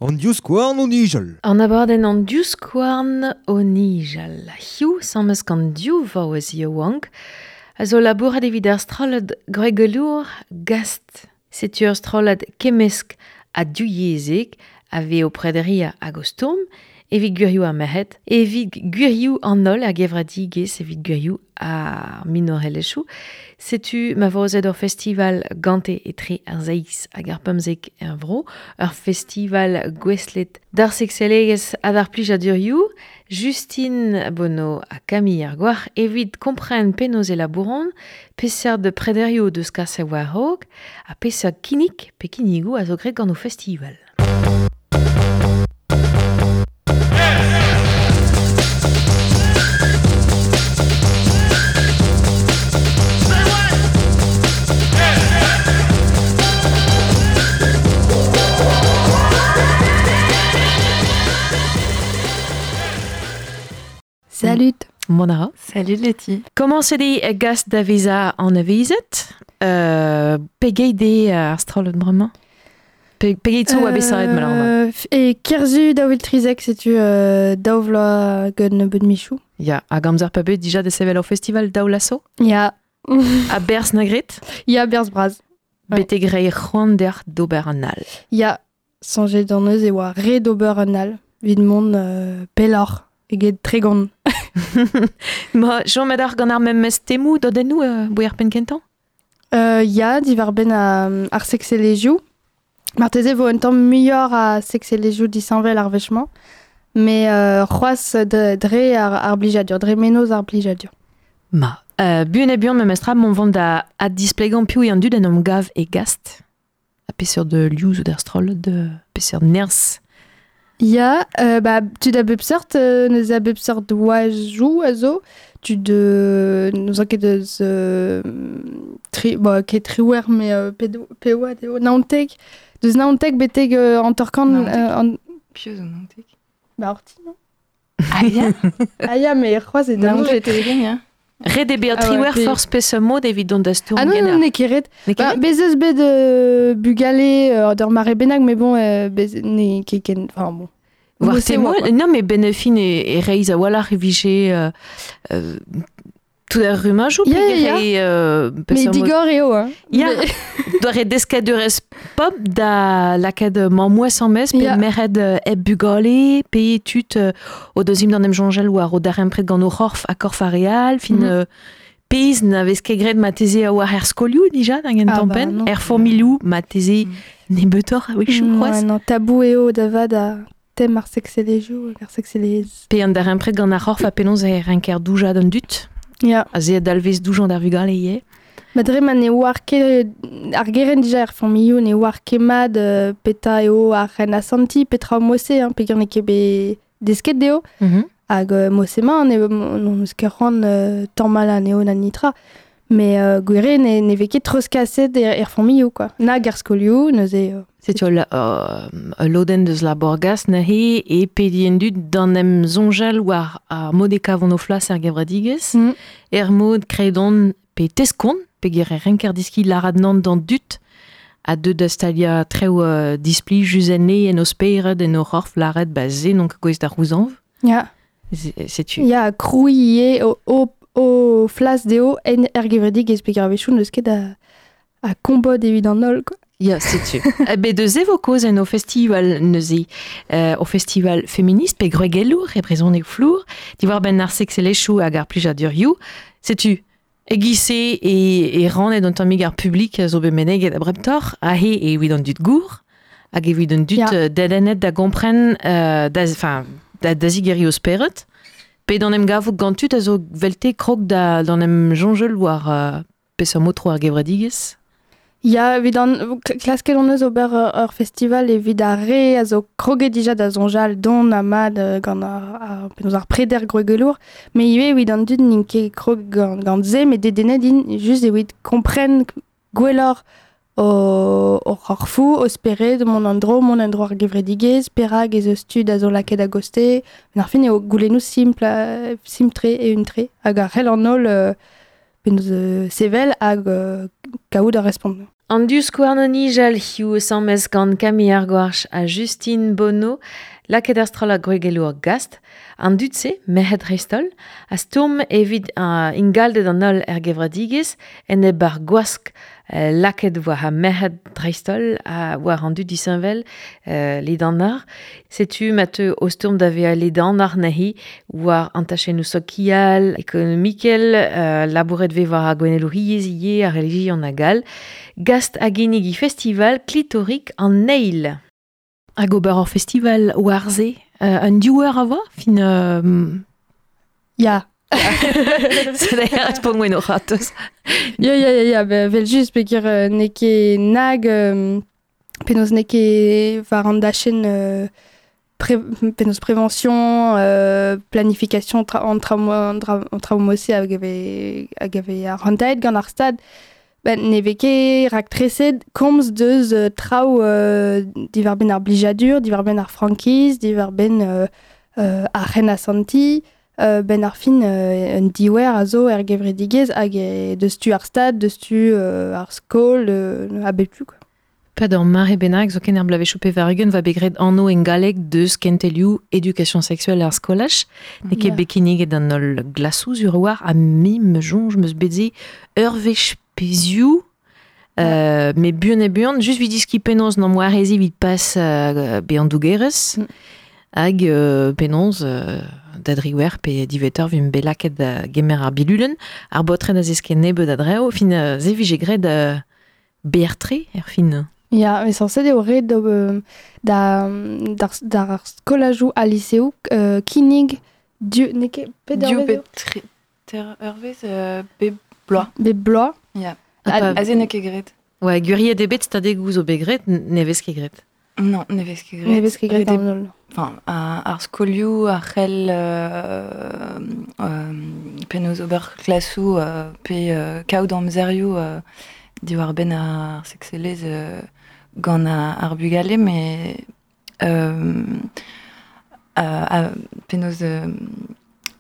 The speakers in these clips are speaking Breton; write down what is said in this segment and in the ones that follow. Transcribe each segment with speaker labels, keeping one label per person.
Speaker 1: An divskouarn o nijal.
Speaker 2: An abadenn an divskouarn o nijal. Hiziv 'sammes gant div vaouez yaouank a zo labourat evit ar strollad gwregelour Gast. Setu ur strollad kemmesk ha divyezhek a vez o prederiañ hag o stourm evit gwirioù ar merc'hed, evit gwirioù an holl ar gevredigezh, evit gwirioù ar minorelezhioù. Setu ma vo aozet ur festival gante etre ar seizh hag ar 15 er vro, ur festival gouestlet d'ar sekselegezh ha d'ar plijadurioù. Justine Bonneau ha Camille ar Goar evit kompren penaos e labouront, peseurt prederioù o deus kaset war-raok ha peseurt kinnig pe kinnigoù a zo graet gant o festival.
Speaker 3: Salut.
Speaker 2: Mont a ra.
Speaker 3: Salut Letty.
Speaker 2: Komañset eo gas da vezañ anavezet. Pegeit eo ar strollad bremañ? Pegeit zo oa bet savet malheureusement?
Speaker 3: E Kerzu 2013, setu daou vloaz gant nebeut michoù.
Speaker 2: Ya, hag amzer pa bet dija da sevel ur festival daou laso?
Speaker 3: Ya.
Speaker 2: Ha berzh na gret?
Speaker 3: Ya, berzh bras.
Speaker 2: Betek reiñ c'hoant deoc'h d'ober an all.
Speaker 3: Ya, soñjet hon eus e oa ret d'ober un all evit mont pelloc'h eget 30.
Speaker 2: Ma, chomet oc'h gant ar memes temoù dodennoù boe ar penn kentañ?
Speaker 3: Ya, diwar-benn ar sekselezhioù. Marteze e vo un tamm muioc'h a sekselezhioù disheñvel ar wech-mañ, met c'hoazh dre ar blijadur, dre mennozh ar blijadur.
Speaker 2: Ma, buan ha buan memestra, mont vont da addisplegañ piv eo an dud en em gav e Gast. Ha peseurt liv zo d'ar strollad, peseurt nerzh?
Speaker 3: Ya, ba, tud a bep seurt, neuze a bep seurt oajoù a zo. Tud n'ouzon ket eus tri, bon, ket triwec'h, mais ped, pe oad eo, 19. Deus 19 betek 50.
Speaker 4: 19. Piv zo 19?
Speaker 3: Ba, orti, non?
Speaker 4: Ah ya?
Speaker 3: Ah ya, mais c'hoazh eo
Speaker 4: 19 eo ya.
Speaker 2: Ret eo bezañ triwec'h forzh peseurt mod evit dont da stourm
Speaker 3: Ah non, non, n'eo ket ret. Ba, bez eus bet bugale d'ur mare bennak, mais bon, bez n'eo ket ken... Enfin bon.
Speaker 2: War temoù, non, mais ben fin e reizh a-walc'h e vije tout ar rummajoù
Speaker 3: Ya, ya, ya. Mais digor eo, hein.
Speaker 2: Ya, doare deskadurezh pop da lakaat mamm-mouezh en-maez pe merc'hed hep bugale, pe tud o deus int d'an em soñjal war o darempred gant o c'horf ha korf ar re all, fin pezh na vez ket graet marteze war er skolioù dija da gentañ penn, er familhoù marteze nebeutoc'h a-wechoù c'hoazh.
Speaker 3: Non, tabou eo da vat a tem ar sekselezhioù hag ar sekselezh.
Speaker 2: Pe an darempred gant ar c'horf ha penaos e renker doujañ d'an dud.
Speaker 3: Ya.
Speaker 2: Ha se a dalvez doujañ d'ar vugale ivez.
Speaker 3: Ma dre ma ne oar ket ar gerent dija er familhoù ne oar ket mat petra eo ar ren asantiñ, petra mod-se, hein, peogwir n'eo ket bet desket dezho. Hag mod-se-mañ n'hon eus ket c'hoant tamal anezho na netra. Mais gwir eo ne vez ket treuzkaset er familhoù quoi. Nag er skolioù, neuze...
Speaker 2: Setu ul lodenn deus labour-gas neuze e pediñ an dud d'an em soñjal war ar mod e kavont o flas er gevredigezh, er mod kredont pe teskont, peogwir e renker deskiñ lârat nann d'an dud a deu da staliañ traoù displijus enne en o spered, en o c'horf, lâret ba se n'on ket gouest da c'houzañv.
Speaker 3: Ya.
Speaker 2: Setu.
Speaker 3: Ya, krouiñ ivez o flas dezho en er gevredigezh peogwir a-wechoù n'eus ket a kombod evit an holl quoi.
Speaker 2: Ya, setu. Bet eus e vo kaoz en o festival neuze, o festival feminist pe gwregelour e brezhoneg flour, diwar-benn ar sekselezhioù hag ar plijadurioù. Setu, e-giz-se e rannet un tammig ar publik a zo bet meneget abreptoc'h, aze evit an dud gour, hag evit an dud dedennet da gompren, da, enfin, da zigeriñ o spered, pe d'en em gavout gant tud a zo 'velte krog d'en em soñjal war peseurt mod tro ar gevredigezh.
Speaker 3: Ya, evit an klasket hon eus ober ur festival evit ar re a zo kroget dija da soñjal don ha mat gant ar penaos ar preder gwregelour, met ivez evit an dud n'int ket krog gant se, met dedennet int just evit kompren gwelloc'h o c'horfoù, o spered, mont en-dro, mont en-dro ar gevredigezh, perak ez eus tud a zo lakaet a-gostez. Met ar fin eo goulennoù simpl, simpl-tre, eeun-tre, hag a c'hell an holl penaos sevel hag kaout ar respont.
Speaker 2: An div-skouarn o nijal hiziv asambles gant Camille Argouarch ha Justine Bonneau, lakaet ar strollad gwregelour Gast, an dud-se, merc'hed dreist-holl, a stourm evit ingalded an holl er gevredigezh, enep ar gwask lakaet war ar merc'hed dreist-holl ha war an dud disheñvel ledanoc'h. Setu ma teu o stourm da vezañ ledanoc'h neuze war an tachennoù sokial, ekonomikel, labouret vez war ar gouennelouriezh ivez, ar relijion hag all. Gast hag ginnig festival klitorik an eil. Hag ober ur festival war-se, un div eur a voa, fin...
Speaker 3: Ya.
Speaker 2: C'est respont gwen o c'hatoz.
Speaker 3: Ya, ya, ya, ya, vel just peogwir n'eo ket nag, penaos n'eo ket war an dachenn penaos prévention, planification an traoù-se hag ave ar rantaet gant ar stad. Ben, ne vez ket raktreset komz deus traoù diwar-benn ar blijadur, diwar-benn ar frankiz, diwar-benn ar c'henasanti, ben ar fin un diouer a zo er gevredigezh hag deus tu ar stad, deus tu ar skol, a bep tu, quoi.
Speaker 2: Pad ur mare bennak zo ken ar bloavezhioù pevar-ugent va bet graet anv en galleg deus kentelioù éducation sexuelle ar skolaj. N'eo ket bet kinniget an holl glasoù sur war ha me me soñj meus bet se ur wech pezhioù, met buan e buan, just evit diskiñ penaos n'am boa rezi evit pas bezañ dougerez, hag penaos da driwec'h pe diwezhatoc'h vimp bet lakaet da gemer ar bilulenn, ar baotred a zeske nebeut a drev, fin se vije graet berr-tre er fin.
Speaker 3: Ya, met sañset eo ret d'ar skolajoù ha liseoù kinnig div n'eo ket pet
Speaker 4: Div pe ter eurvezh bep bloaz.
Speaker 3: Bep bloaz.
Speaker 4: Ya. Aze n'eo ket graet.
Speaker 2: Ouais, gwiriet eo bet stadegoù zo bet graet, ne vez ket graet.
Speaker 4: Non, ne vez ket graet.
Speaker 3: Ne vez ket graet an holl.
Speaker 4: Enfin, ar skolioù a c'hell penaos ober klasoù pe kaout amzerioù diwar-benn ar sekselezh gant ar bugale, met penaos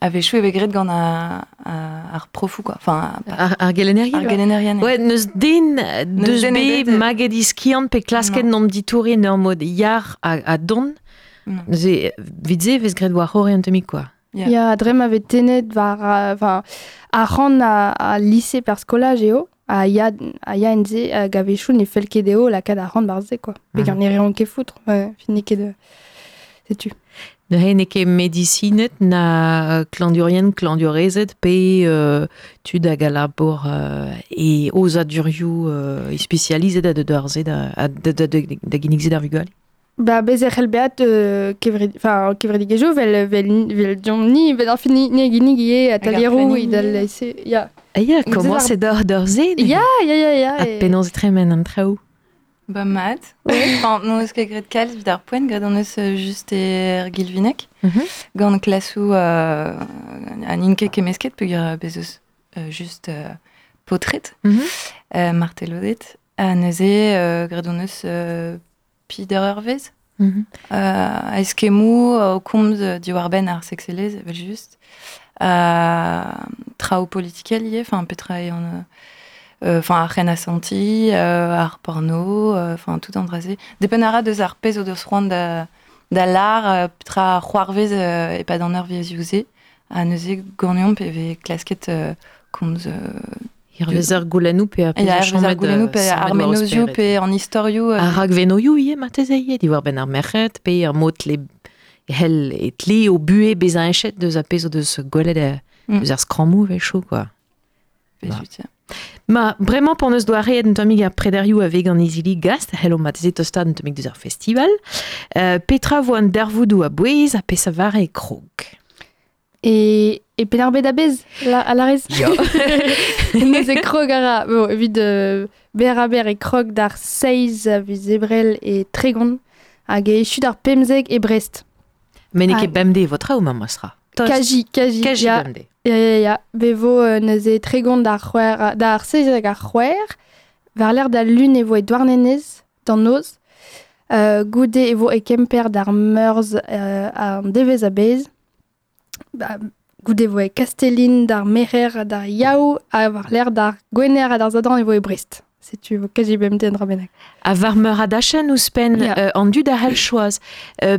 Speaker 4: a-wechoù e vez graet gant ar profoù, quoi. Enfin,
Speaker 2: ar gelennerien.
Speaker 4: Ar gelennerien.
Speaker 2: Ouais, n'eus den deus bet maget iskiant pe klasket n'om ditourien ur mod yar ha don. Neuze, evit se vez graet war c'horre un tammig, quoi.
Speaker 3: Ya, dre ma vez tennet war enfin, ar c'hant a lycée per skolaj eo, a ya enze hag a-wechoù ne fell ket dezho lakaat ar c'hant war-se, quoi. Peogwir ne reont ket foutre, fin n'eo ket de... Setu.
Speaker 2: Neuze n'eo ket medisined na klañvdiourien, klañvdiourezed pe tud hag a labour e aozadurioù spesializet a da ar-se da ginnig se d'ar vugale.
Speaker 3: Ba bez e c'hell beat kevredigezhioù vel deomp-ni, vel ar fin ni a ginnig ivez atalieroù idal se ya.
Speaker 2: Ah ya, comment c'est d'or d'or-se?
Speaker 3: Ya, ya, ya, ya.
Speaker 2: Ha penaos e tremen an traoù?
Speaker 4: Ba mat. Enfin, n'on eus ket graet kalz evit ar poent, graet on eus just er Gilvineg, gant klasoù an int ket kemmesket peogwir bez eus just paotred, martelodet. Ha neuze graet on eus pider eurvezh. A eskemmoù o komz diwar-benn ar sekselezh, evel just. Traoù politikel ivez, enfin petra eo an... Enfin, ar c'henasanti, ar porno, enfin, tout an dra-se. Depend a ra deus ar pezh o deus c'hoant da lar, petra c'hoarvez e-pad an eurvezhioù-se. Ha neuze ganeomp e vez klasket komz...
Speaker 2: Hervez ar goulennoù pe ar pezh
Speaker 4: ar goulennoù pe ar menozioù pe an istorioù.
Speaker 2: Ar rakvenoioù ivez marteze ivez, diwar-benn ar merc'hed pe ar mod hell e tle o buhez bezañ enchet deus ar pezh o deus gwelet deus ar skrammoù a-wechoù, quoi. Ma, bremañ p'on eus doareet un tammig ar prederioù a vez gant izili Gast, hello mateze tostad un tammig deus ar festival. Petra vo an darvoudoù a-bouez ha peseurt e krog?
Speaker 3: E Penn-ar-Bed a-bezh, a larez?
Speaker 2: Ya.
Speaker 3: Neuze krog a ra, bon, evit berr-ha-berr e krog d'ar seizh a viz Ebrel e Tregont hag e echu d'ar pemzek e Brest.
Speaker 2: Met n'eo ket bemdez vo traoù ma sera.
Speaker 3: Kaji,
Speaker 2: kaji
Speaker 3: ya.
Speaker 2: Bemdez.
Speaker 3: Ya, ya, ya. Be vo neuze Tregont d'ar c'hwec'h, d'ar seizh hag ar c'hwec'h, war-lerc'h d'al lun e vo e Douarnenez, d'an noz. Goude e vo e Kemper d'ar meurzh an devezh a-bezh. Ba, Goude vo e Kastellin d'ar Merer d'ar Yaou ha war l'air d'ar Gwener ha d'ar Zadan e vo e Brest. Setu vo kazi bemdez an dra bennak.
Speaker 2: A war meur a dachenn ouzhpenn yeah. An dud a c'hell choaz.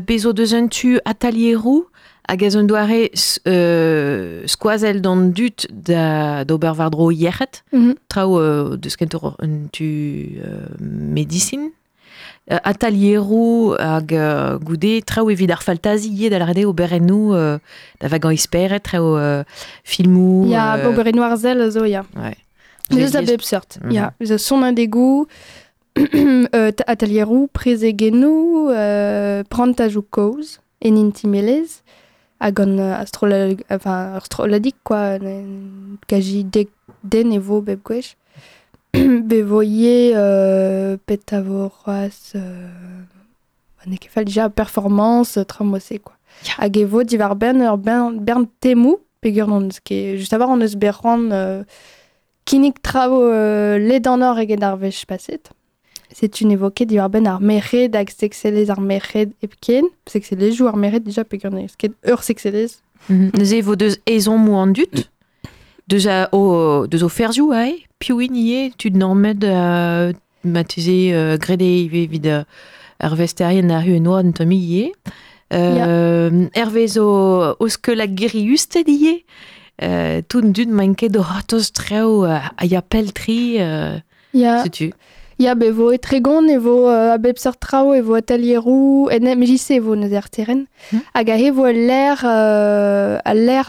Speaker 2: Bez o deus un tu atelieroù hag ez un doare skoazell d'an dud d'ober war-dro yec'hed. Traoù deus kentoc'h un tu medisin. Atelieroù hag goude traoù evit ar faltazi ivez da lâret eo oberennoù da vagañ esperet, traoù filmoù...
Speaker 3: Ya, oberennoù arzel a zo, ya.
Speaker 2: Ouais.
Speaker 3: Eus a bep seurt, ya. Eus a sonadegoù, atelieroù, prezegennoù, prantajoù kozh, en intimelezh, hag an enfin, ur strolladig, quoi, kaji dek den e vo bep gwech. Be vo ivez pet a vo c'hoazh n'eo ket fall dija performance, traoù-se, quoi. Hag e vo diwar-benn ur bern temoù, peogwir n'hon eus ket... Just a-walc'h hon eus bet c'hoant kinnig traoù ledanoc'h eget ar wech paset. Setu ne vo ket diwar-benn ar merc'hed hag sekselezh ar merc'hed hepken. Sekselezhioù ar merc'hed dija peogwir n'eus ket ur sekselezh.
Speaker 2: Neuze e vo deus ezhommoù an dud, deus o ferzhioù aze, piv int ivez, tud nammet marteze graet eo ivez evit ar vesterien ar un tammig ivez. Hervez o skeul hag giriusted ivez. Tout an dud maint ket o c'hortoz traoù a ya pell-tre, setu.
Speaker 3: Ya, be vo e Tregont, e vo a bep seurt traoù, e vo atelieroù, en MJC e vo neuze ar terren. Hag aze e vo al lec'h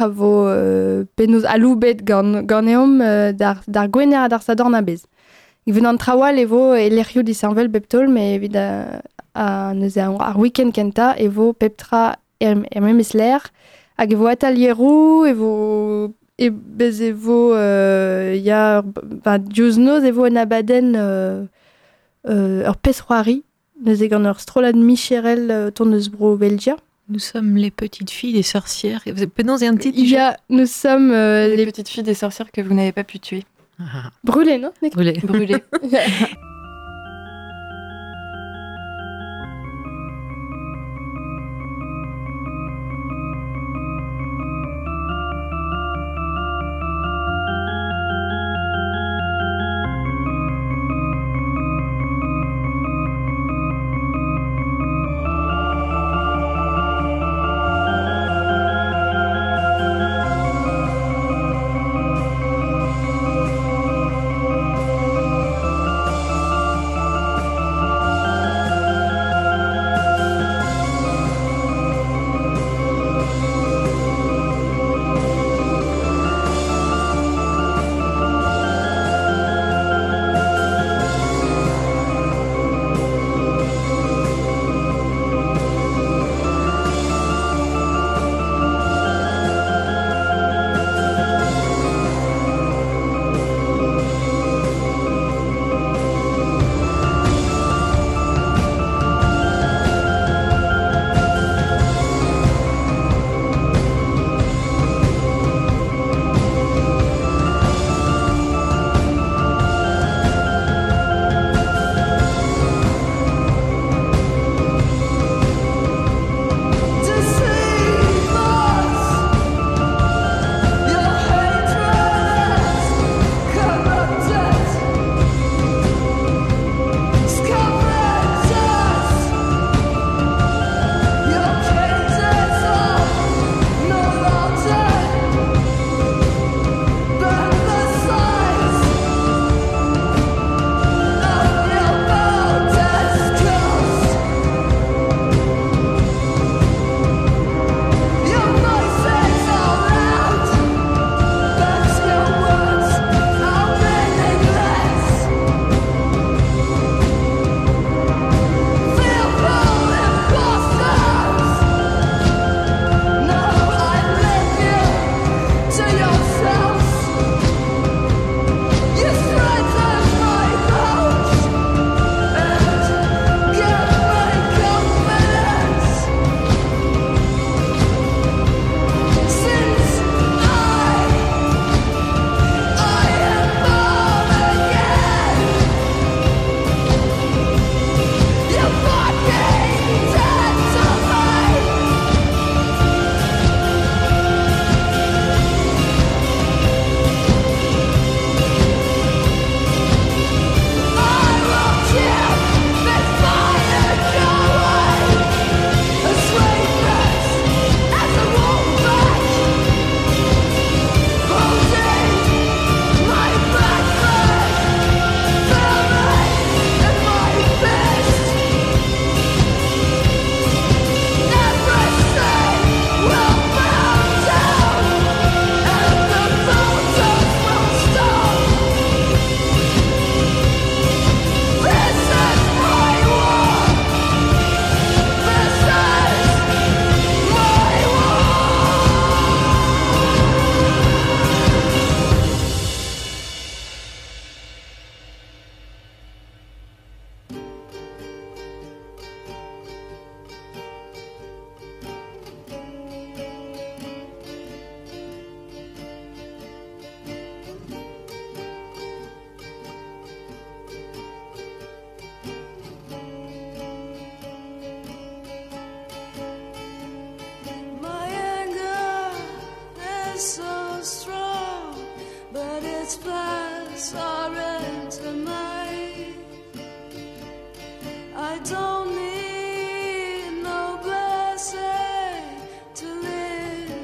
Speaker 3: a vo penaos aloubet ganeomp d'ar Gwener ha d'ar Sadorn a-bezh. Evit an traoù all e vo e lec'hioù disheñvel bep taol, met evit neuze ar week-end kentañ e vo pep tra er memes lec'h. Hag e vo atelieroù, e vo e bez e vo ya ba diouzh noz e vo un abadenn ur pezh-c'hoari neuze gant ur strollad micherel tont eus bro Belgia.
Speaker 2: Nous sommes les petites filles des sorcières. Penaos eo an titre?
Speaker 3: Ya, nous sommes
Speaker 4: les petites filles des sorcières que vous n'avez pas pu tuer.
Speaker 2: Ah.
Speaker 3: Brûlées, non?
Speaker 2: Brûlées.
Speaker 4: Brûlées.
Speaker 5: Its plas ar mai. I don't need no blessing to live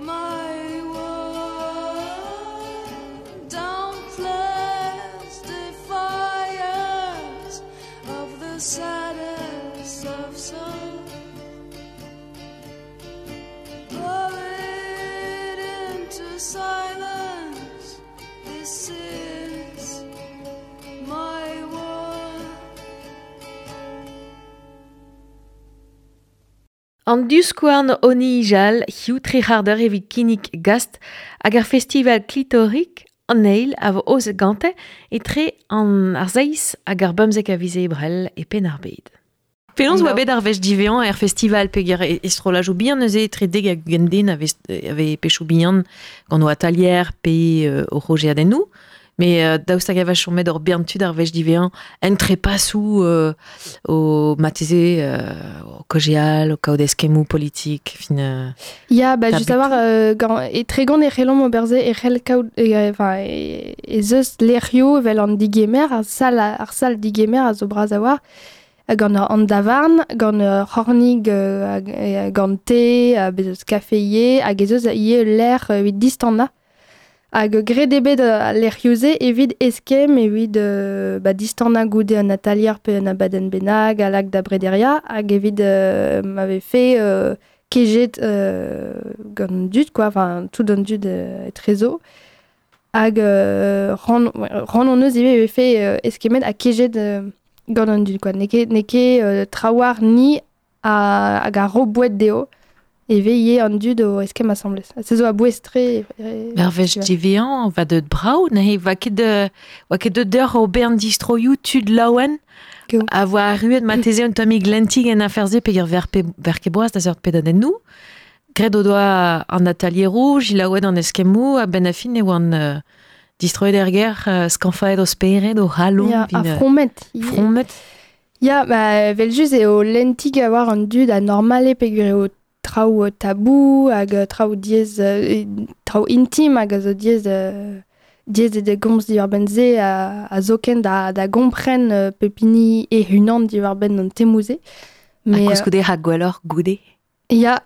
Speaker 5: my world. Don't bless the fires of the saddest of souls. Buried into silence, this is my world.
Speaker 2: An diouskouarn o nijal, hiziv tri c'hardeur evit kinnig gast hag ar festival klitorik an eil a vo aozet gante etre an ar seizh hag ar bemzek a viz Ebrel e Penn-ar-Bed. Penaos oa bet ar wech divezañ er festival peger e strollajoù bihan neuze etre dek hag ugent den a vez pechoù bihan gant o atalier pe o rogeadennoù. Mais daoust hag a vez chomet ur bern tud ar wech divezañ en trepasoù o mateze o kojeal, o kaout eskemmoù politik, fin...
Speaker 3: Ya, ba, just a war, e tregont e c'hellomp ober se e c'hell kaout, enfin, e zeus lec'hioù evel an digemer, ar sal digemer a zo bras a war, gant an davarn, gant c'hornig, gant te, bez eus kafe ivez, hag ez eus ivez lec'h evit distannañ. Hag graet eo bet al lec'hioù-se evit eskemm, evit ba, distannañ goude an atalier pe un abadenn bennak, a lak da brederia, hag evit ma vefe kejet gant an dud, quoi, enfin, tout an dud etrezo. Hag ran hon eus ivez vefe eskemmet ha kejet gant an dud, quoi. N'eo ket trawar ni hag a ro boued dezho. E veille an dud o eskemm asambles. Se zo a bouez-tre.
Speaker 2: Ar wech divezañ va deut brav, neuze va ket deut deoc'h o bern distroioù tud laouen a voa arruet mateze un tammig lentig en afer-se peger ver ket boaz da seurt pedadennoù. Graet o doa an atalieroù, jilaouet an eskemmoù, a-benn a fin e oan distroet er gêr, skañfaet o spered, o c'halon.
Speaker 3: Ya, a fromet.
Speaker 2: Fromet.
Speaker 3: Ya, ba, evel-just eo lentig a war an dud a normale peogwir eo traoù tabou hag traoù diaes, traoù intim hag a zo diaes diaes da gomz diwar-benn se a zoken da gompren pep hini e-unan diwar-benn an temoù-se.
Speaker 2: Ha koulskoude ha gwelloc'h goude.
Speaker 3: Ya,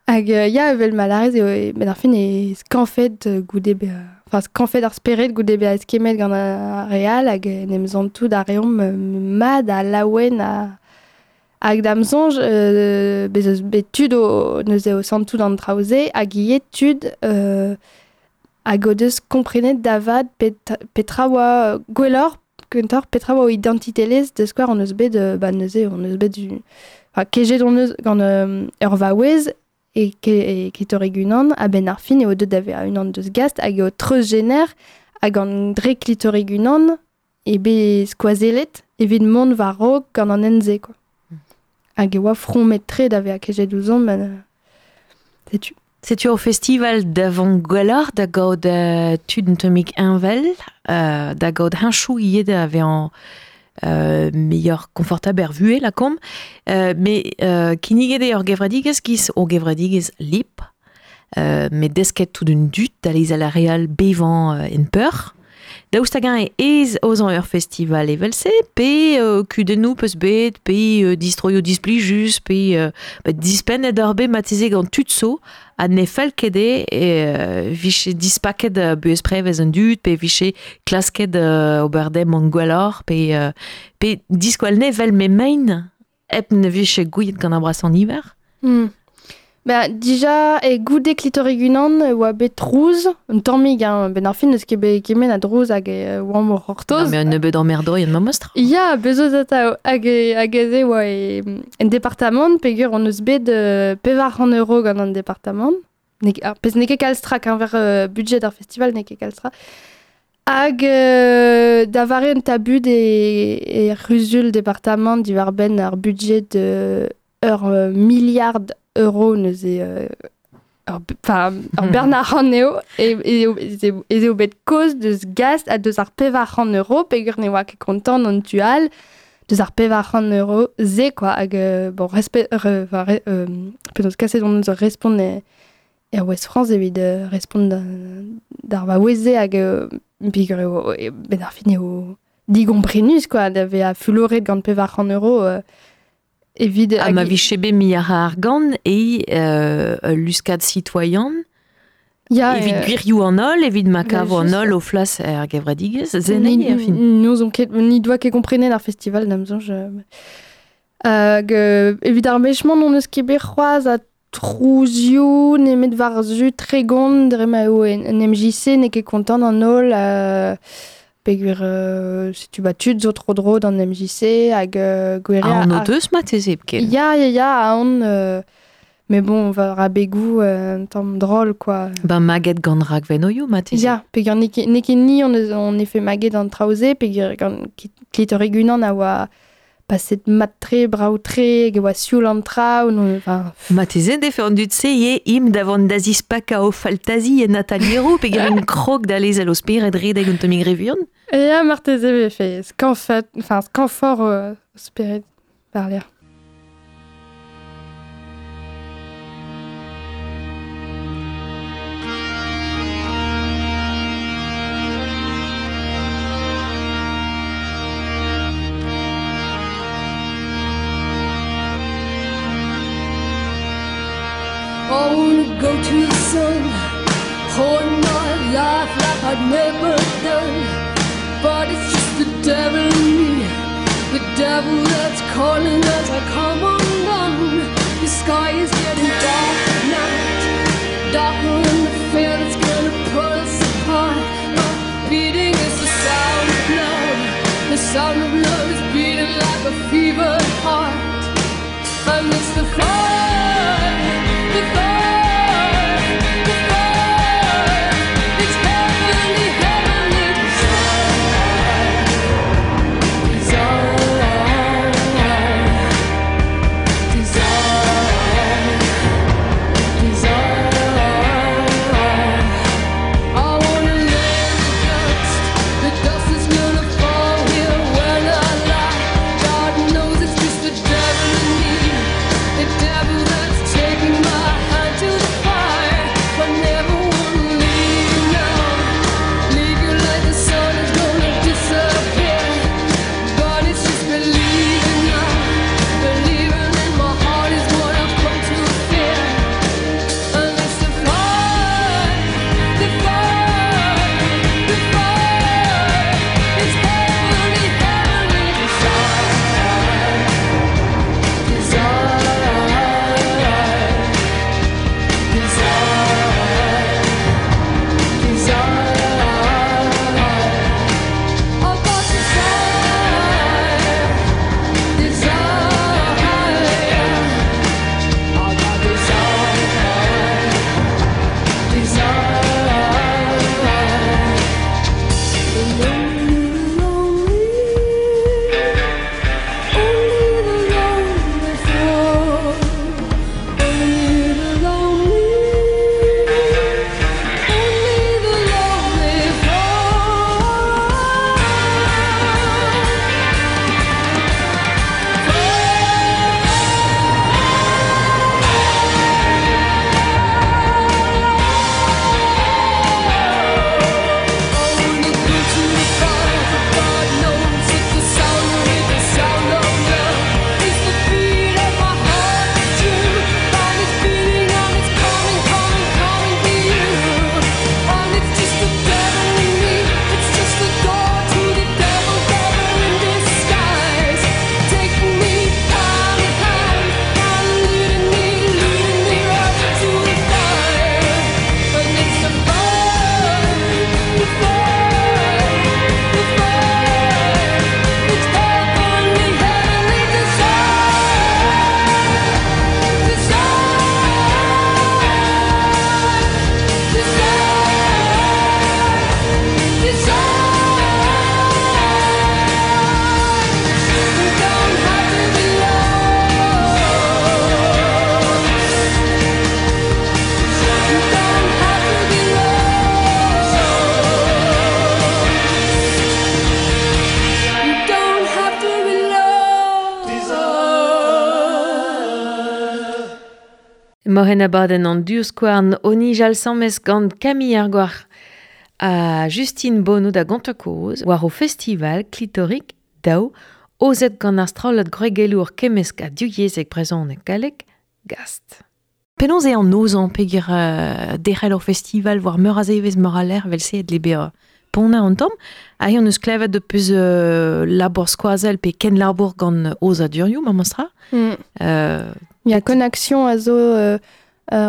Speaker 3: hag ya, evel ma lârez eo, met ar fin e skañfet goude bezañ, enfin skañfet ar spered goude bezañ eskemmet gant ar re all hag en em santout a reomp mat ha laouen ha hag da'm soñj bez eus bet tud o neuze o santout an traoù-se hag ivez tud hag o deus komprenet da vat petra oa gwelloc'h kentoc'h petra oa o identitelezh da skouer hon eus bet ba neuze hon eus bet du enfin kejet hon eus gant ur vaouez e klitorig unan a-benn ar fin eo deuet da vezañ unan deus gast hag eo treuzjener hag an dre klitorig unan e bet skoazellet evit mont war-raok gant an hent-se, quoi. Hag e oa fromet-tre da vezañ kejet ouzhomp, setu.
Speaker 2: Setu ur festival da vont gwelloc'h, da gaout tud un tammig heñvel, da gaout heñchoù ivez da vezañ meilleur confortable er vuhez, lakaomp. Mais kinniget eo ur gevredigezh giz ur gevredigezh lip, met desket tout un dud da lezel ar re all bevañ en peur. Daoust hag-eñ ez aozañ ur festival evel-se, pe kudennoù peus bet, pe distroioù displijus, pe dispennet ur bet mateze gant tud zo, ha ne fell ket eo vije dispaket buhez prevez an dud, pe vije klasket ober dem an gwelloc'h, pe diskoal ne vel me mein, hep ne vije gouiet gant ar brasañ niver.
Speaker 3: Ba, dija, e goude klitorig unan oa bet trouz, un tammig, hein, ben ar fin eus ket bet kement a drouz hag oamp o c'hortoz.
Speaker 2: Non, mais un nebeud emmerdorien ma mostr.
Speaker 3: Ya, bezo atav, hag ez oa en departamant, peogwir hon eus bet 400 € gant an departamant. Pezh n'eo ket kalz tra keñver budget ar festival, n'eo ket kalz tra. Hag da vare un tabut e c'huzul departamant diwar-benn ar budget ur milliard euro neuze ur bern arc'hant eo ez eo bet kaoz deus gast ha deus ar 400 € peogwir ne oa ket kontant an tu all deus ar 400 € se, quoi. Hag bon, respect, enfin, penaos kaset hon eus ur respont er West France evit respont d'ar va weze hag peogwir eo ben ar fin eo digomprenus quoi da vezañ fuloret gant 400 € evit
Speaker 2: Ha ma vije bet mi ar argant e luskad citoyen
Speaker 3: Ya,
Speaker 2: evit gwirioù an holl, evit ma kavo an holl o flas er gevredigezh, zen
Speaker 3: er
Speaker 2: fin.
Speaker 3: Nous on ket ni doa ket komprenet ar festival da'm soñj. Hag evit ar mechman on eus ket bet c'hoazh a trouzioù nemet war zu tregont dre ma eo en MJC n'eo ket kontant an holl peogwir setu ba tud zo tro-dro d'an MJC hag gwir
Speaker 2: eo... An o deus marteze hepken.
Speaker 3: Ya, aon... mais bon, war abegoù un tamm drol, quoi.
Speaker 2: Ben maget gant rakvenoioù, marteze.
Speaker 3: Ya, peogwir n'eo ket ni on efe maget an traoù-se, peogwir gant Klitorig unan a oa paset mat-tre, brav-tre, hag e oa sioul an traoù, non, enfin...
Speaker 2: Marteze defe an dud-se eo im da vont da zispakañ o faltazi en atalieroù, peogwir int krog da lezel o spered redek un tammig re vuan.
Speaker 3: Ya, marteze vefe skañfet, enfin, skañfoc'h o spered war-lerc'h.
Speaker 5: I wanna go to the sun, hold my life like I'd never done. But it's just the devil in me, the devil that's calling as I come undone. The sky is getting dark at night, darker than the fear that's gonna pull us apart. But beating is the sound of love, the sound of love is beating like a fevered heart. And it's the fire, the fire, the fire. It's heavenly, heavenly desire, desire, desire, desire. I wanna lay in the dust, the dust is gonna fall here when I lie. God knows it's just the devil in me, the devil.
Speaker 2: Mohen abadenn an divskouarn o nijal samez gant Camille Argoar ha Justine Bonneau da Gontakoz war o festival Klitorik daou ozet gant ar strollad gwregelour kemmesk ha divyezhek brezhoneg gallek gast. Penaos eo an nozañ peogwir derc'hel ur festival war meur a zevezh meur a lec'h evel-se e dle bezañ ponner an tamm. Aze hon eus klevet deus labour skoazell pe kenlabour gant aozadurioù memestra.
Speaker 3: Ya, Connexion a zo ur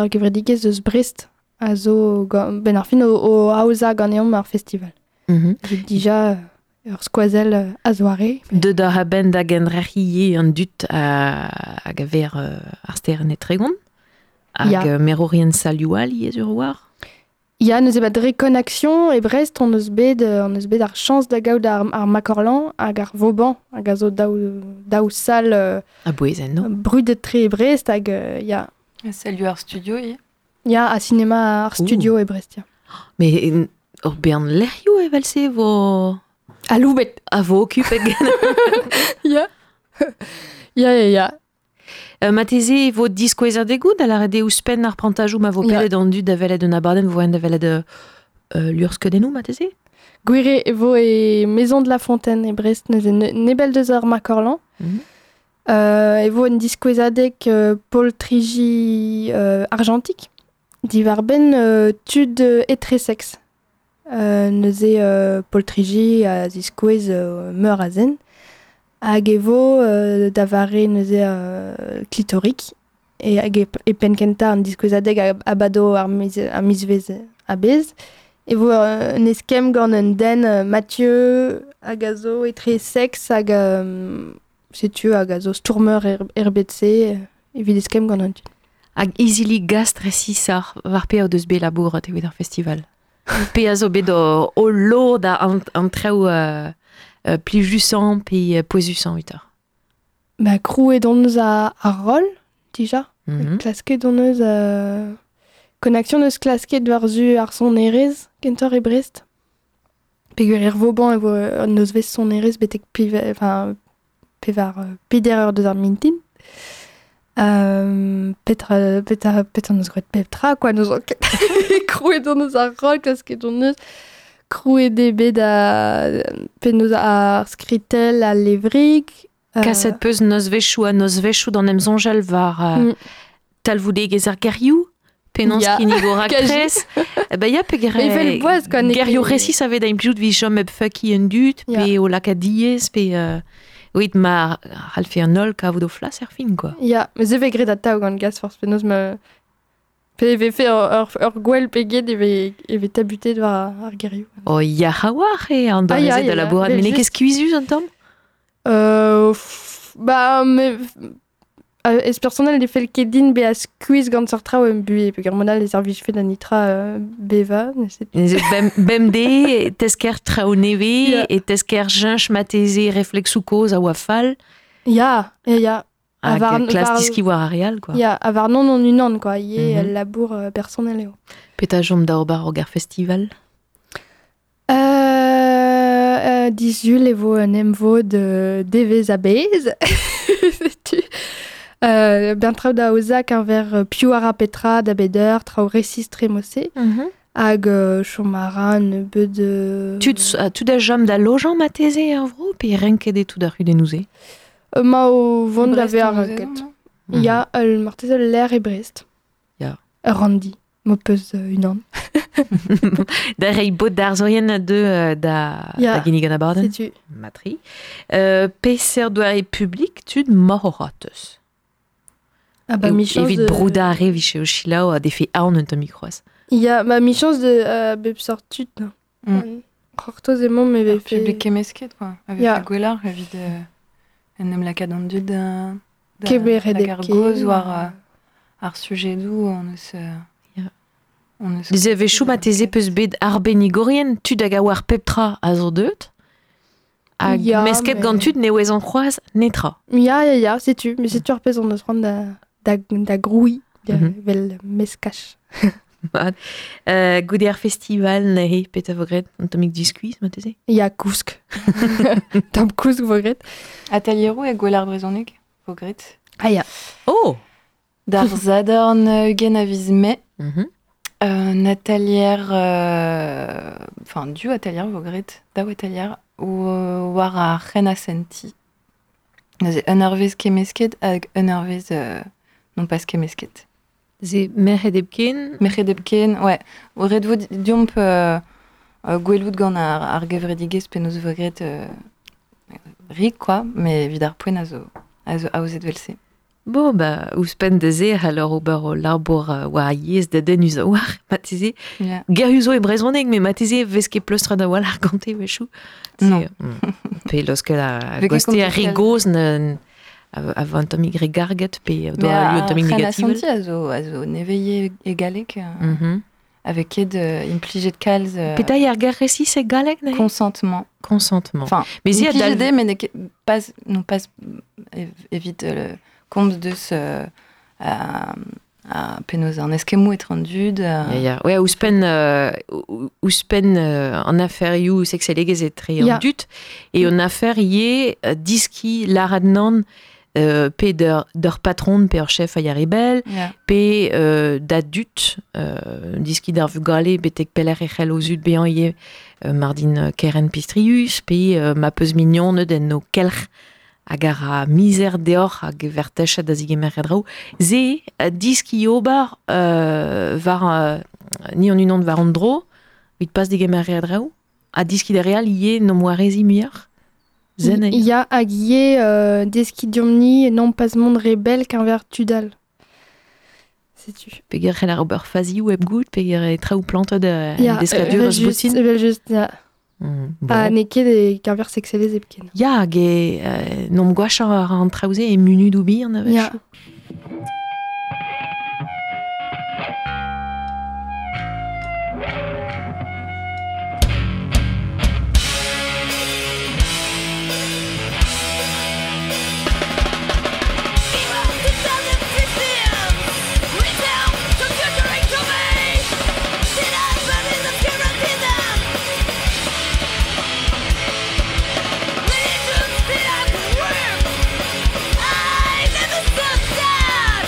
Speaker 3: gevredigezh eus Brest a zo ben ar fin o aozañ ganeomp ar festival. Evit dija ur skoazell a-zoare.
Speaker 2: Deut oc'h a-benn da gendrec'hiñ an dud hag a ver ar sterenn e Tregont hag merourien salioù all ivez sur war.
Speaker 3: Ya, neuze ba dre Connexion e Brest hon eus bet ar chañs da gaout ar Macorlan hag ar Vauban hag a zo daou sal
Speaker 2: a-bouez enno.
Speaker 3: Brudet-tre e Brest hag ya.
Speaker 4: Salioù ar studio ivez.
Speaker 3: Ya, ha sinema ar studio e Brest, ya.
Speaker 2: Mais ur bern lec'hioù evel-se vo...
Speaker 3: Aloubet.
Speaker 2: A vo okupet gant...
Speaker 3: Ya. Ya, ya, ya.
Speaker 2: Marteze e vo diskouezadegoù da lâret eo ouzhpenn ar prantajoù ma vo pedet an dud da welet un abadenn vo da welet luc'hskeudennoù marteze?
Speaker 3: Gwir e vo e Maison de la Fontaine e Brest neuze nebell deus ar Macorlan. E vo un diskouezadeg poltriji argentik diwar-benn tud etreseks. Neuze poltriji a ziskouez meur a zen. Hag e vo da vare neuze klitorik e hag e penn kentañ an diskouezadeg abado ar mizvezh a-bezh. E vo un eskemm gant un den Mathieu hag a zo etre seks hag setu hag a zo stourmer er bed-se evit eskemm gant an dud.
Speaker 2: Hag izili gast resisoc'h war pe o deus bet labourat evit ar festival? Pe a zo bet o lod an traoù plijusañ pe pouezusañ evitoc'h?
Speaker 3: Ba krouet hon eus ar roll, dija. Klasket hon eus... Connexion eus klasket war-zu ar sonerezh kentoc'h e Brest. Peogwir er Vauban e vo un nozvezh sonerezh betek pevar peder eur deus ar mintin. Petra neus graet pep tra, quoi, neus ket. Krouet hon eus ar roll, klasket hon eus. Krouet eo bet penaos ar skritell, al levrig.
Speaker 2: Kaset peus nozvezhioù ha nozvezhioù d'an emsoñjal war talvoudegezh ar gerioù, penaos kinnig o raktres. Ba ya, pe gerioù resis a vez da implijout evit chom hep fuckiñ an dud, pe o lakaat diaes, pe... Oit ma c'hallfe an holl kavout o flas er fin, quoi.
Speaker 3: Ya, mais se vez graet atav gant gas forzh penaos ma... Pe e vefe ur gwell pe get e vez tabutet war ar gerioù.
Speaker 2: Oh, ya a-walc'h eo an doare-se da labourat, met n'eo ket skuizhus an tamm?
Speaker 3: Ba, me... Ez personel ne fell ket din bezañ skuizh gant seurt traoù em buhez, peogwir mod all e servijfe da nitra bevañ.
Speaker 2: Bemdez e tesker traoù nevez, e tesker cheñch marteze refleksoù kozh a oa fall.
Speaker 3: Ya, ya.
Speaker 2: Hag klas diskiñ war ar re all, quoi.
Speaker 3: Ya, ha warnon hon unan, quoi. Ivez al labour personel eo.
Speaker 2: Petra chom da ober ar festival?
Speaker 3: Disul e vo un emvod devezh a-bezh. Setu. Ben traoù da aozañ keñver piv a ra petra da bet eur, traoù resis tre mod-se. Hag chom a ra nebeud...
Speaker 2: Tud a chom da lojañ marteze er vro pe renket eo tout ar c'hudennoù-se?
Speaker 3: Ma o vont da vezañ renket. Ya, marteze ul lec'h e Brest.
Speaker 2: Ya.
Speaker 3: Ur ranndi, m'ho peus unan.
Speaker 2: Da reiñ bod d'ar zourien a deu da ginnig an abadenn.
Speaker 3: Setu.
Speaker 2: Matri. Peseurt doare publik tud moc'h eus?
Speaker 3: Ah bah,
Speaker 2: evit broudañ ar re vije o selaou a defe aon un tammig c'hoazh.
Speaker 3: Ya, ma michañs de bep sort tud. C'hortoz emañ me vefe...
Speaker 4: Publik kemmesket, quoi. A vefe gwelloc'h evit en em lakaat an dud da ar goz war ar sujedoù on eus...
Speaker 2: Dezevezhioù marteze peus bet arbennigourien, tud hag a oar pep tra a zo deuet. Hag mesket gant tud ne ouezont c'hoazh netra.
Speaker 3: Ya, ya, ya, setu. Mais setu ar pezh on eus c'hoant da grouiñ, vel meskaj.
Speaker 2: Goude ar festival, neuze, petra vo graet? Un tammig diskuizh, marteze?
Speaker 3: Ya, kousk. Tamm kousk vo graet.
Speaker 4: Atelieroù e gwell ar brezhoneg vo graet.
Speaker 3: Ah ya.
Speaker 2: Oh!
Speaker 4: D'ar zadorn ugen a viz me. Un atelier, enfin, du atelier vo gret, daou atelier, war ar c'hen a senti. Neuze, un eurvez kemesket hag un eurvez non pas kemesket.
Speaker 2: Ze merc'hed hepken?
Speaker 4: Merc'hed hepken, ouais. Ret vo diomp gwelout gant ar gevredigezh penaos vo gret rik, quoi, mais evit ar poent a zo aozet vel-se.
Speaker 2: Bon, ba, ouzhpenn da se c'haller ober o labour war ar yezh da den a war, marteze.
Speaker 4: Yeah.
Speaker 2: Gerioù zo e brezhoneg, met marteze vez ket pleustret a-walc'h gante wechoù.
Speaker 4: Non.
Speaker 2: Pe laosket a
Speaker 4: Vez ket
Speaker 2: goste ar
Speaker 4: kontet
Speaker 2: re
Speaker 4: kalz.
Speaker 2: gozh a vo un tammig re garget pe
Speaker 4: Mais
Speaker 2: doa un
Speaker 4: ar
Speaker 2: tammig
Speaker 4: c'hen
Speaker 2: negativel.
Speaker 4: asanti a zo nevez e galleg, avec ket implijet kalz
Speaker 2: Petra ar ger resis e galleg, neuze?
Speaker 4: Consentement.
Speaker 2: Consentement.
Speaker 4: Enfin,
Speaker 2: Mais zi a
Speaker 4: implijet
Speaker 2: dal-
Speaker 4: eo, mais n'eo ket pas, non pas evit komz deus a penaos an eskemmoù etre an dud.
Speaker 2: Ya, ya. Ouais, ouzhpenn an aferioù sekselegezh etre an dud, e an afer ivez diski lârat nann pe d'ur patron, pe ur chef a yaribel, pe da dud, diski d'ar vugale betek pelec'h e c'hell o zud bezañ ivez mardin keren pistrius, pe ma peus mignoned en o kelc'h hag ar a mizer deoc'h hag vertechet da zigemer draoù. Ze diski ober war ni an unan war an dro, evit pas digemer draoù, ha diski da real ivez n'om warezi muioc'h. Zen eo.
Speaker 3: Ya hag ivez deski diomp-ni non pas mont rebel qu'envers tudal. Setu.
Speaker 2: Peger c'hell ar ober fazioù hep goût, peger e traoù plantet
Speaker 3: Ya,
Speaker 2: deskadur
Speaker 3: evel
Speaker 2: eus
Speaker 3: just,
Speaker 2: boutin.
Speaker 3: evel just, ya.
Speaker 2: Bon.
Speaker 3: Ha n'eo ket e keñver sekselezh hepken.
Speaker 2: Ya, hag e n'omp gwashañ ar an traoù-se e munudoù bihan a-wechoù.
Speaker 3: Ya.
Speaker 5: I never saw that!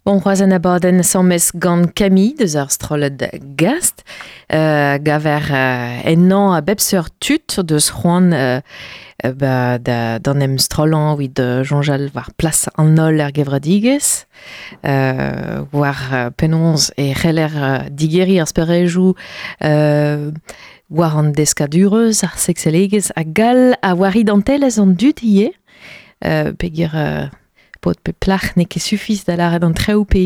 Speaker 2: Bon, c'hoazh an abadenn sammes gant Camille deus ar strollad Gast, gaver ennañ a bep seurt tud deus c'hoant ba, da, d'an em strollañ evit soñjal war plas an holl er gevredigezh, war penaos e c'heller digeriñ ar sperejoù war an deskadurezh, ar sekselegezh hag all a war identelezh an dud ivez. Peogwir paotr pe plac'h n'eo ket sufis da lâret an traoù pe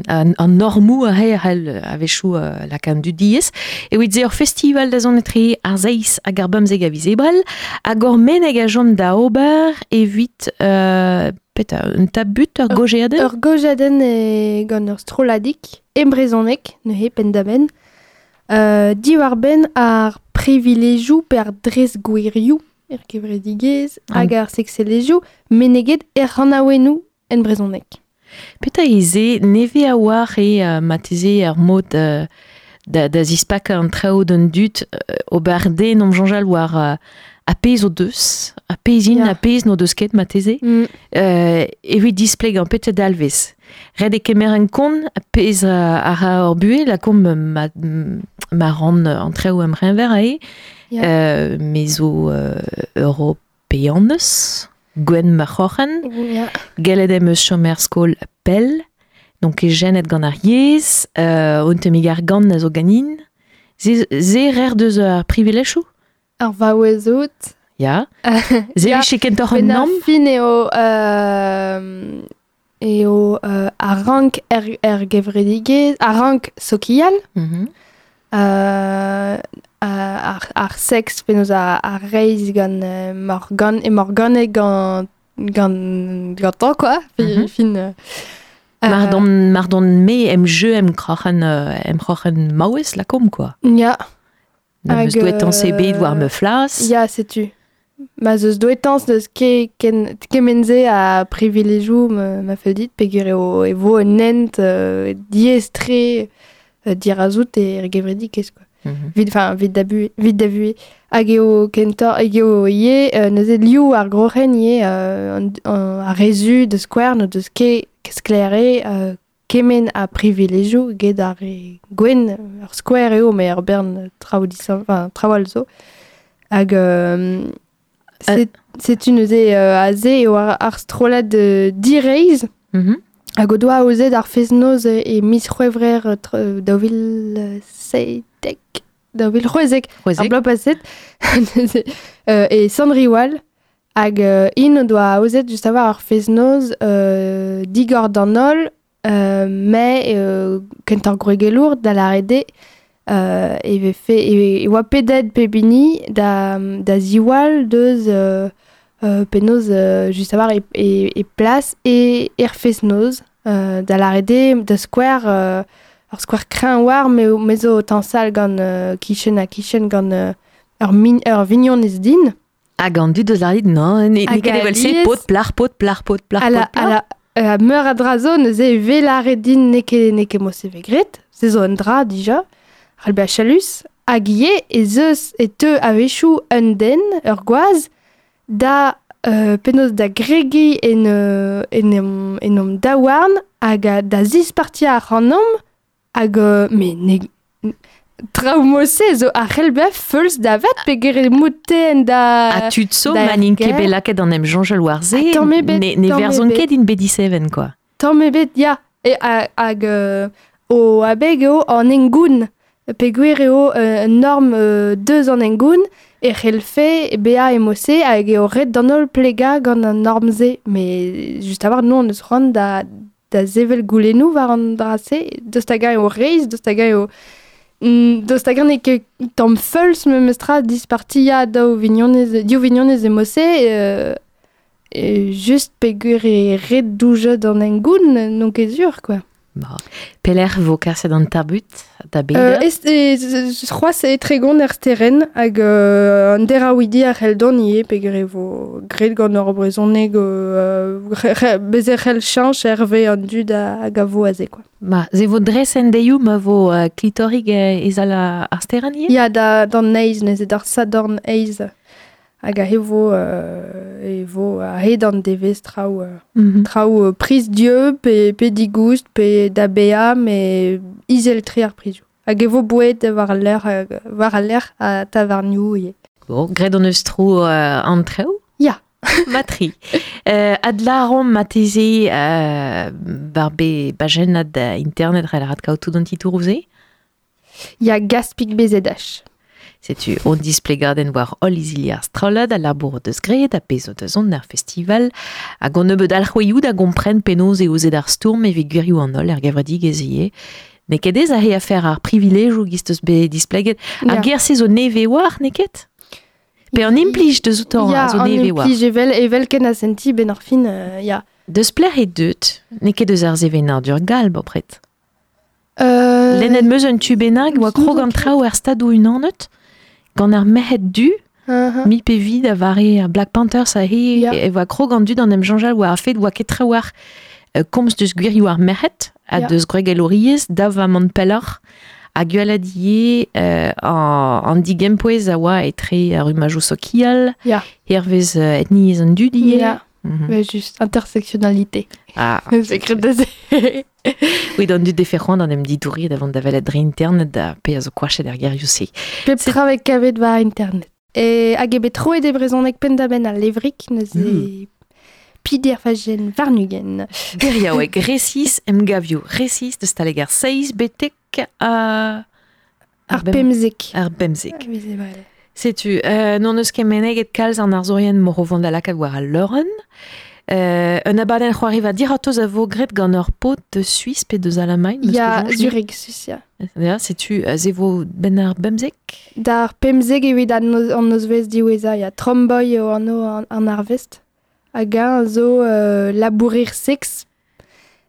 Speaker 2: an normoù aze a c'hell a-wechoù lakaat an dud diaes. Evit se ur festival da zont etre ar seizh hag ar bemzek a viz Ebrel hag ur meneg a chom da ober evit petra un tabut, ur gaozeadenn?
Speaker 3: Ur gaozeadenn gant ur strolladig e brezhoneg neuze penn-da-benn diwar-benn ar privilejoù pe ar dres-gwirioù er gevredigezh hag ar sekselezhioù meneget er c'hanaouennoù en brezhoneg.
Speaker 2: Petra eo se nevez a-walc'h eo marteze ar mod da zispakañ an traoù d'an dud ober den omp soñjal war ar pezh o deus, ar pezh int, ar pezh n'o deus ket marteze, evit displegañ petra dalvez. Ret eo kemer en kont ar pezh a ra hor buhez, lakaomp ma ran an traoù em c'heñver aze, me zo europeanez, gwenn ma c'hroc'hen, gellet em eus chom er skol pell, n'on ket jenet gant ar yezh, un tammig argant a zo ganin. Se rer deus ar privilejoù?
Speaker 3: Ar vaouez out.
Speaker 2: Ya. Se vije kentoc'h un namm?
Speaker 3: Fin eo eo ar rank er gevredigezh, ar rank sokial, ar seks penaos ar reizh gant Morgan, e Morgane gant gantañ quoi, fin.
Speaker 2: Mar don me em jeu em kroc'hen maouez lakaomp quoi.
Speaker 3: Ya.
Speaker 2: N'am eus douetañs ebet war ma flas.
Speaker 3: Ya, setu. Ma 'z eus douetañs n'eus ket kement-se a privilejoù ma fell dit peogwir eo e vo un hent diaes-tre dirazout er gevredigezh quoi. Vit da vuhez. Hag eo kentoc'h hag eo ivez neuze liv ar groc'hen ivez ar re zu da skouer n'o deus ket sklaer kement a privilejoù get ar re gwenn. Ur skouer eo mais ur bern traoù enfin, traoù all zo. Hag setu neuze aze eo ar strollad direizh hag o doa aozet ar fest-noz e miz C'hwevrer 2017 2016 ar bloaz paset e Sant-Riwal hag int o doa aozet just a-walc'h ar fest-noz digor d'an holl mais kentoc'h gwregelour da lâret eo e vefe e oa pedet pep hini da ziwall deus penaos just a-walc'h e plas e er fest-noz da lâret eo da skouer ur skouer kreñv war me zo o tañsal gant kichen ha kichen gant ur vignonez din.
Speaker 2: Hag an dud eus ar dit non, n'eo ket evel-se paotr, plac'h, paotr, plac'h, paotr, plac'h, paotr, plac'h.
Speaker 3: Meur a dra zo neuze e vez lâret din n'eo ket mod-se vez graet, se zo un dra dija, c'hall bezañ chalus, hag ivez ez eus e teu a-wechoù un den, ur gwaz, da penaos da gregiñ en hom daouarn hag da zispartiañ ac'hanomp hag mais ne traoù mod-se zo a c'hell bezañ feuls da vat peogwir emaout-te da...
Speaker 2: Ha tud zo ma n'int ket bet lakaet an em soñjal war se, ne verzont ket int bet diseven quoi.
Speaker 3: Tamm ebet, ya. Hag o abeg eo an hengoun. Peogwir eo un norm deus an hengoun e c'hellfe bezañ e mod-se hag eo ret d'an holl plegañ gant an norm-se. Mais just a-walc'h, nous on eus c'hoant da sevel goulennoù war an dra-se. Daoust hag-eñ eo reizh, daoust hag-eñ eo... Daoust hag-eñ n'eo ket tamm feuls memestra dispartiañ daou vignonez, div vignonez e mod-se just peogwir eo ret doujañ d'an hengoun, n'on ket sur quoi.
Speaker 2: Ba. Pelec'h vo kaset an tabut da beder?
Speaker 3: C'hoazh e Tregont er Sterenn hag an deraouidi a c'hell dont ivez peogwir e vo graet gant ur brezhoneg bez e c'hell cheñch hervez an dud hag a vo aze quoi.
Speaker 2: Ma, se vo dres en deioù ma vo klitorig e sal ar Sterenn ivez?
Speaker 3: Ya, d'an eizh neuze, d'ar Sadorn eizh. Hag aze vo a-hed an devezh traoù traoù priz dieub pe digoust pe da baeañ met izel-tre ar prizioù. Hag e vo boued war al lec'h ha tavarnioù ivez.
Speaker 2: Bon, graet hon eus tro an traoù?
Speaker 3: Ya.
Speaker 2: Matri. Adlâromp marteze war be bajennad internet c'hell rat kaout tout an titouroù-se?
Speaker 3: Ya, Gaspig BZH.
Speaker 2: Setu on displegadenn war holl izili ar strollad a labour deus graet a pezh o deus on ar festival hag on nebeud alc'hwezioù da gompren penaos eo aozet ar stourm evit gwirioù an holl er gevredigezh ivez. N'eo ket aes aze afer ar privilejoù giz deus bet displeget. Ar ger-se zo nevez war, n'eo ket? Pe an implij deus outañ
Speaker 3: Ya,
Speaker 2: a zo
Speaker 3: an
Speaker 2: nevez war.
Speaker 3: implij evel, evel ken a senti ben ar fin, ya.
Speaker 2: Deus plec'h eo deut? N'eo ket deus ar sevenadur gall, bopred. Lennet 'm eus un tu bennak oa krog an traoù er Stadoù-Unanet gant ar merc'hed du, mi pe vi da vare ar Black Panthers aze e oa krog an dud an em soñjal war ar fed oa ket trawalc'h komz deus gwirioù ar merc'hed ha deus gwregelouriezh da vamant pelloc'h ha gwelet ivez an digempouez a oa etre ar rummajoù sokial hervez etniezh an dud ivez.
Speaker 3: Mais just intersectionnalité.
Speaker 2: Ah,
Speaker 3: C'est de
Speaker 2: Oui, d'an dud defe c'hoant an em didourit da vont da welet dre internet da pe a zo koachet er gerioù-se.
Speaker 3: Pep tra vez kavet war internet. E hag eo bet troet e brezhoneg penn-da-benn al levrig neuze pider fajen warn-ugent.
Speaker 2: Geriaoueg resis emgavioù resis deus taleg ar seizh betek
Speaker 3: ar pemzek.
Speaker 2: Ar bemzek. Setu, n'hon eus ket meneget kalz an arzourien mor o vont da lakaat war al leurenn. Un abadenn c'hoariva diratozh a vo graet gant ur paotr deus Suis pe deus Alamagn.
Speaker 3: Ya, Zurich, Suis, ya.
Speaker 2: Ya, setu, se vo benn ar bemzek?
Speaker 3: D'ar pemzek evit an nozvezh diwezhañ, ya. Tromboy eo anv an arvest. Hag eñ a zo labourer seks.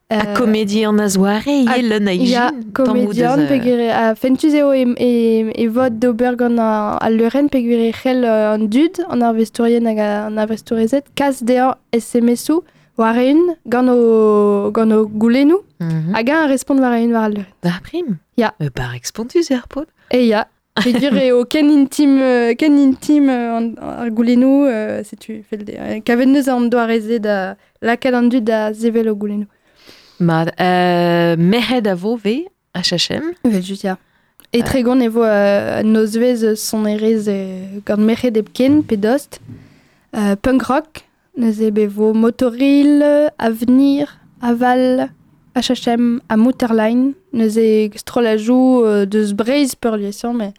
Speaker 2: Ha komedian a-zoare ivez, leun a ijin.
Speaker 3: Ya, komedian, peogwir ha fentus eo e vod d'ober gant al leurenn peogwir e c'hell an dud, an arvestourien hag an arvestourezed, kas dezhañ SMS-où war-eeun gant o, gant o goulennoù, hag eñ a respont war-eeun war al leurenn.
Speaker 2: Da prim?
Speaker 3: Ya.
Speaker 2: Barrek spontus eo ar paotr.
Speaker 3: E ya. Peogwir eo ken intim, ken intim ar goulennoù, setu, fell dezhañ. Kavet 'neus an doare-se da lakaat an dud da sevel o goulennoù.
Speaker 2: Mat, merc'hed a vo 'vez HHM.
Speaker 3: Evel-just, ya. E Tregont e vo un nozvezh sonerezh gant merc'hed hepken pe dost. Punk rock, neuze be vo Motoril, Avenir, Aval, HHM ha Mouterline. Neuze strollajoù deus Breizh peurliesañ, met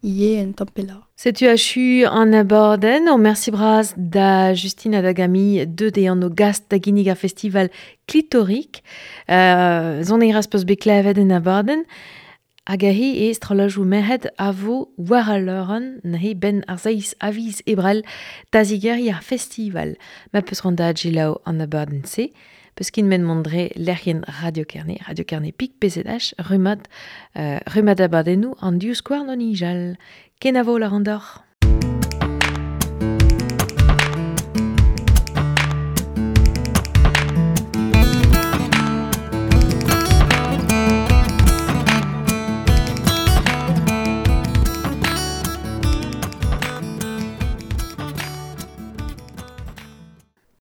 Speaker 3: ivez un tamm pelloc'h.
Speaker 2: Setu achu an abadenn. Ur mersi bras da Justine ha da Gami deuet eo an o gast da ginnig ar festival Clitoric. Sonerezh peus bet klevet en abadenn. Hag aze e strollajoù merc'hed a vo war al leurenn neuze 'benn ar seizh a viz Ebrel da zigeriñ ar festival. Ma peus c'hoant da selaou an abadenn-se, peus ket met mont dre lec'hienn Radio Kerne, Radio Kerne pik PZH, rummad, rummad abadennoù an divskouarn o nijal. Kenavo lâran deoc'h.